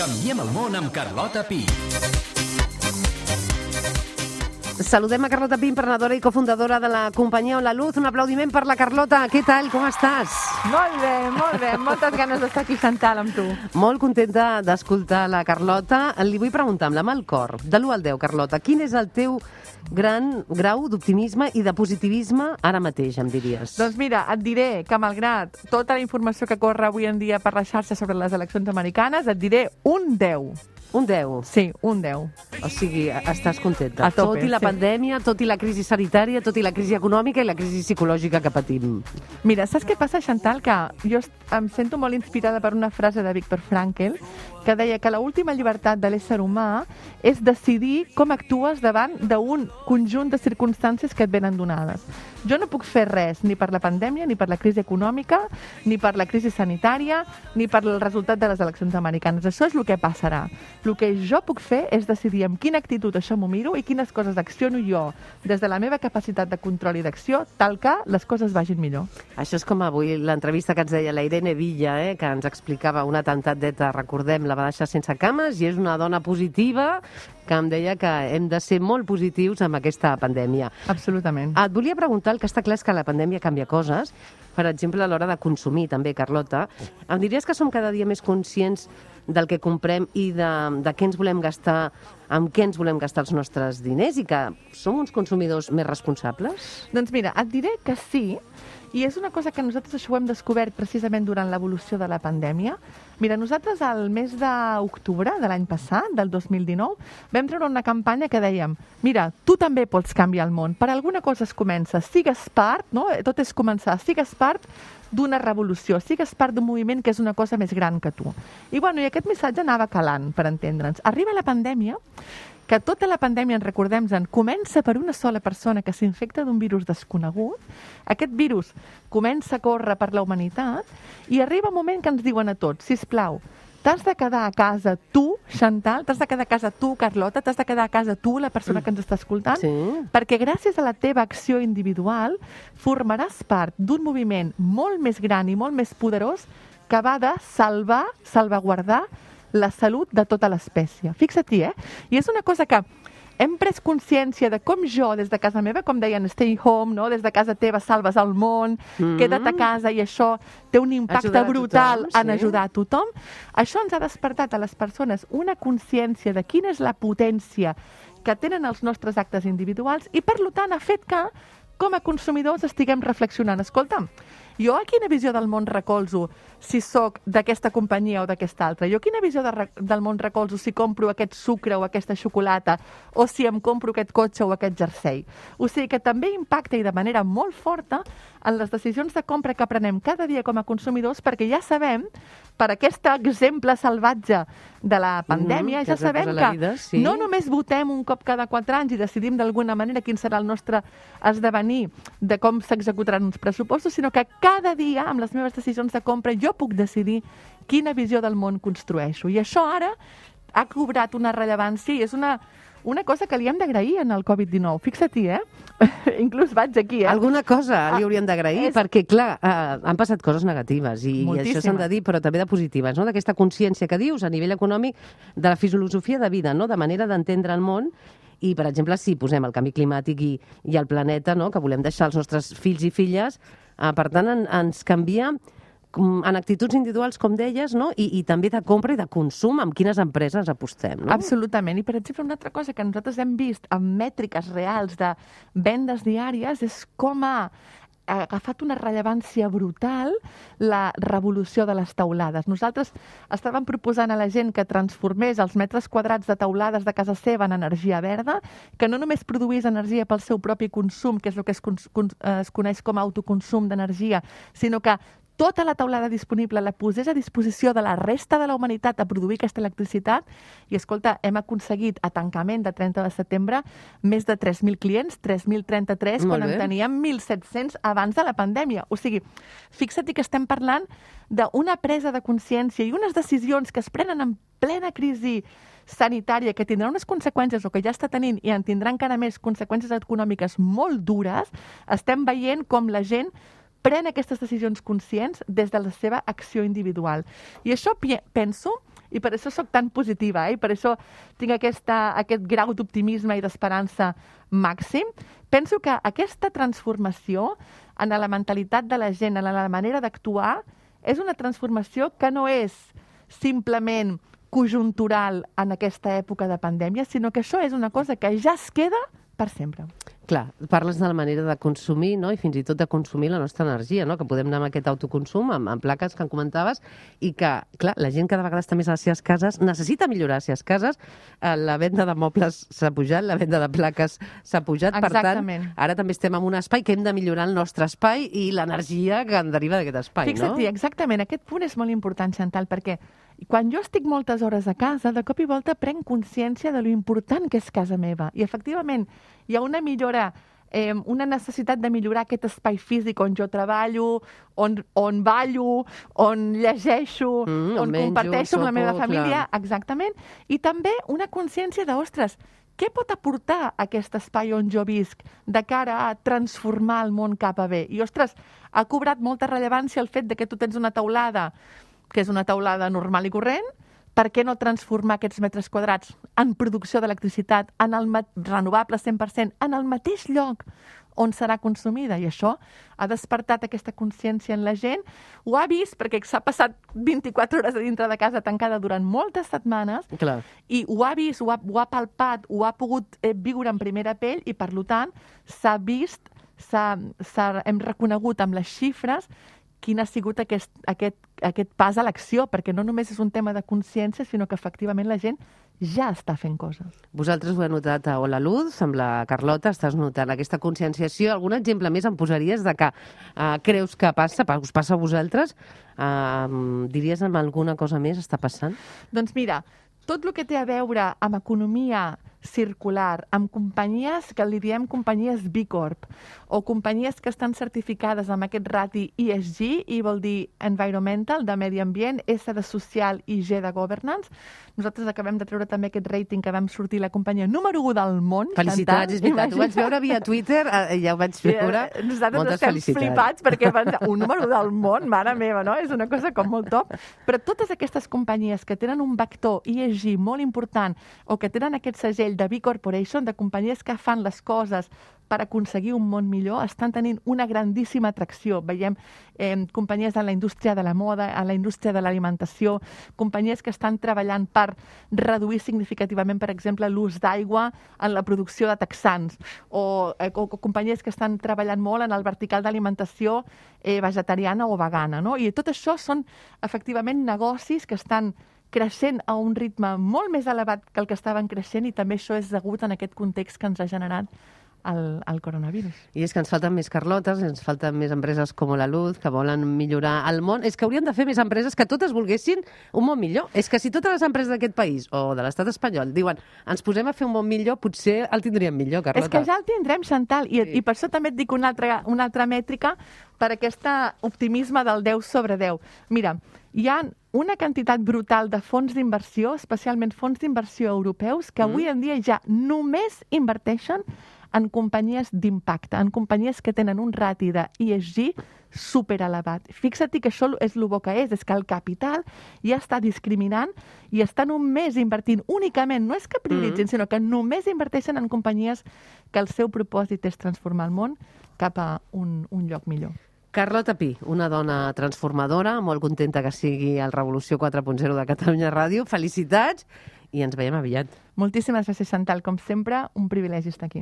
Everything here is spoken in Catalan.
Canviem el món amb Carlota Pi. Saludem a Carlota Pi, emprenedora i cofundadora de la companyia On la Luz. Un aplaudiment per la Carlota. Què tal? Com estàs? Molt bé, molt bé. Moltes ganes d'estar aquí sentant amb tu. Molt contenta d'escoltar la Carlota. Li vull preguntar, amb la mà al cor, de l'1 al 10, Carlota, quin és el teu gran grau d'optimisme i de positivisme ara mateix, em diries? Doncs mira, et diré que malgrat tota la informació que corre avui en dia per la xarxa sobre les eleccions americanes, et diré un 10. Un 10? Sí, un 10. O sigui, estàs contenta. A tope, tot i la pandèmia, tot i la crisi sanitària, tot i la crisi econòmica i la crisi psicològica que patim. Mira, saps què passa, Chantal? Que jo em sento molt inspirada per una frase de Viktor Frankl que deia que l'última llibertat de l'ésser humà és decidir com actues davant d'un conjunt de circumstàncies que et venen donades. Jo no puc fer res ni per la pandèmia, ni per la crisi econòmica, ni per la crisi sanitària, ni per el resultat de les eleccions americanes. Això és el que passarà. El que jo puc fer és decidir amb quina actitud això m'ho miro i quines coses acciono jo des de la meva capacitat de control i d'acció, tal que les coses vagin millor. Això és com avui l'entrevista que ens deia la Irene Villa, que ens explicava un atemptat d'ETA, recordem, la va deixar sense cames i és una dona positiva que em deia que hem de ser molt positius amb aquesta pandèmia. Absolutament. Et volia preguntar, el que està clar és que la pandèmia canvia coses, per exemple, a l'hora de consumir també, Carlota. Em diries que som cada dia més conscients del que comprem i de què ens volem gastar, amb què ens volem gastar els nostres diners i que som uns consumidors més responsables? Doncs mira, et diré que sí, i és una cosa que nosaltres això ho hem descobert precisament durant l'evolució de la pandèmia. Mira, nosaltres al mes d'octubre de l'any passat, del 2019, vam treure una campanya que dèiem mira, tu també pots canviar el món, per alguna cosa es comença, sigues part, no? Tot és començar, sigues part d'una revolució, sigues part d'un moviment que és una cosa més gran que tu. I aquest missatge anava calant, per entendre'ns. Arriba la pandèmia, que tota la pandèmia, en recordem-se'n, comença per una sola persona que s'infecta d'un virus desconegut, aquest virus comença a córrer per la humanitat i arriba un moment que ens diuen a tots, sisplau, t'has de quedar a casa tu, Chantal, t'has de quedar a casa tu, Carlota, t'has de quedar a casa tu, la persona que ens està escoltant, perquè gràcies a la teva acció individual formaràs part d'un moviment molt més gran i molt més poderós que va de salvaguardar la salut de tota l'espècie. Fixa't-hi, I és una cosa que hem pres consciència de com jo, des de casa meva, com deien, stay home, no? Des de casa teva salves el món, queda't a casa i això té un impacte brutal en ajudar a tothom. Això ens ha despertat a les persones una consciència de quina és la potència que tenen els nostres actes individuals i, per tant, ha fet que, com a consumidors, estiguem reflexionant. Escolta'm, jo a quina visió del món recolzo si sóc d'aquesta companyia o d'aquesta altra? Jo quina visió del món recolzo si compro aquest sucre o aquesta xocolata o si em compro aquest cotxe o aquest jersei? O sigui que també impacta i de manera molt forta en les decisions de compra que prenem cada dia com a consumidors, perquè ja sabem, per aquest exemple salvatge de la pandèmia, ja sabem que no només votem un cop cada 4 anys i decidim d'alguna manera quin serà el nostre esdevenir de com s'executaran uns pressupostos, sinó que cada dia, amb les meves decisions de compra, jo puc decidir quina visió del món construeixo. I això ara ha cobrat una rellevància i és una cosa que li hem d'agrair en el Covid-19. Fixa-t'hi, Inclús vaig aquí, Alguna cosa li hauríem d'agrair, perquè, clar, han passat coses negatives i això s'han de dir, però també de positives, no? D'aquesta consciència que dius a nivell econòmic de la filosofia de vida, no? De manera d'entendre el món. I, per exemple, si posem el canvi climàtic i el planeta, no? Que volem deixar als nostres fills i filles, per tant, ens canvia en actituds individuals, com deies, no? I també de compra i de consum, amb quines empreses apostem, no? Absolutament. I, per exemple, una altra cosa que nosaltres hem vist amb mètriques reals de vendes diàries és com ha agafat una rellevància brutal la revolució de les teulades. Nosaltres estàvem proposant a la gent que transformés els metres quadrats de teulades de casa seva en energia verda, que no només produís energia pel seu propi consum, que és el que es coneix com a autoconsum d'energia, sinó que tota la teulada disponible la posés a disposició de la resta de la humanitat a produir aquesta electricitat i, escolta, hem aconseguit a tancament de 30 de setembre més de 3.000 clients, 3.033, quan en teníem 1.700 abans de la pandèmia. O sigui, fixa't que estem parlant d'una presa de consciència i unes decisions que es prenen en plena crisi sanitària que tindrà unes conseqüències o que ja està tenint i en tindrà encara més conseqüències econòmiques molt dures. Estem veient com la gent pren aquestes decisions conscients des de la seva acció individual. I això penso I per això sóc tan positiva, i per això tinc aquest grau d'optimisme i d'esperança màxim. Penso que aquesta transformació en la mentalitat de la gent, en la manera d'actuar, és una transformació que no és simplement conjuntural en aquesta època de pandèmia, sinó que això és una cosa que ja es queda per sempre. Clar, parles de la manera de consumir, no? I fins i tot de consumir la nostra energia, no? Que podem anar amb aquest autoconsum, amb plaques que en comentaves, i que, clar, la gent cada vegada està més a les seves cases, necessita millorar les seves cases, la venda de mobles s'ha pujat, la venda de plaques s'ha pujat, Exactament. Per tant, ara també estem en un espai que hem de millorar el nostre espai i l'energia que en deriva d'aquest espai, Fixa't, no? exactament, aquest punt és molt important, Chantal, perquè quan jo estic moltes hores a casa, de cop i volta prenc consciència de lo important que és casa meva. I, efectivament, hi ha una millora, una necessitat de millorar aquest espai físic on jo treballo, on ballo, on llegeixo, on comparteixo amb la meva família, exactament, i també una consciència de, ostres, què pot aportar aquest espai on jo visc de cara a transformar el món cap a bé? I, ostres, ha cobrat molta rellevància el fet de que tu tens una teulada que és una teulada normal i corrent, per què no transformar aquests metres quadrats en producció d'electricitat, en el renovable 100%, en el mateix lloc on serà consumida? I això ha despertat aquesta consciència en la gent. Ho ha vist perquè s'ha passat 24 hores a dintre de casa tancada durant moltes setmanes. Clar. I ho ha vist, ho ha palpat, ho ha pogut viure en primera pell i, per tant, s'ha vist, hem reconegut amb les xifres quin ha sigut aquest pas a l'acció, perquè no només és un tema de consciència, sinó que efectivament la gent ja està fent coses. Vosaltres ho heu notat a Hola Luz, amb la Carlota, estàs notant aquesta conscienciació. Algun exemple més em posaries de que creus que passa, us passa a vosaltres? Diries amb alguna cosa més està passant? Doncs mira, tot el que té a veure amb economia circular, amb companyies que li diem companyies B Corp o companyies que estan certificades amb aquest rati ESG, I vol dir environmental, de medi ambient, S de social i G de governance. Nosaltres acabem de treure també aquest rating que vam sortir la companyia número 1 del món. Felicitats, és veritat. Ho vaig veure via Twitter, ja ho vaig veure. Nosaltres estem flipats perquè un número 1 del món, mare meva, no? És una cosa com molt top. Però totes aquestes companyies que tenen un vector ESG molt important o que tenen aquest segell de B Corporation, de companyies que fan les coses per aconseguir un món millor, estan tenint una grandíssima atracció. Veiem companyies en la indústria de la moda, en la indústria de l'alimentació, companyies que estan treballant per reduir significativament, per exemple, l'ús d'aigua en la producció de texans, o companyies que estan treballant molt en el vertical d'alimentació vegetariana o vegana, no? I tot això són, efectivament, negocis que estan creixent a un ritme molt més elevat que el que estaven creixent, i també això és degut en aquest context que ens ha generat el coronavirus. I és que ens falten més Carlotes, ens falten més empreses com la Luz, que volen millorar el món. És que hauríem de fer més empreses que totes volguessin un món millor. És que si totes les empreses d'aquest país o de l'estat espanyol diuen ens posem a fer un món millor, potser el tindríem millor, Carlota. És que ja el tindrem, Chantal, i per això també et dic una altra mètrica per aquest optimisme del 10 sobre 10. Mira, hi ha una quantitat brutal de fons d'inversió, especialment fons d'inversió europeus, que avui en dia ja només inverteixen en companyies d'impacte, en companyies que tenen un rati de ESG superelevat. Fixa't que això és el bo que és que el capital ja està discriminant i està només invertint únicament, no és que prioritzin, sinó que només inverteixen en companyies que el seu propòsit és transformar el món cap a un lloc millor. Carlota Pi, una dona transformadora, molt contenta que sigui el Revolució 4.0 de Catalunya Ràdio. Felicitats i ens veiem aviat. Moltíssimes gràcies, Chantal. Com sempre, un privilegi estar aquí.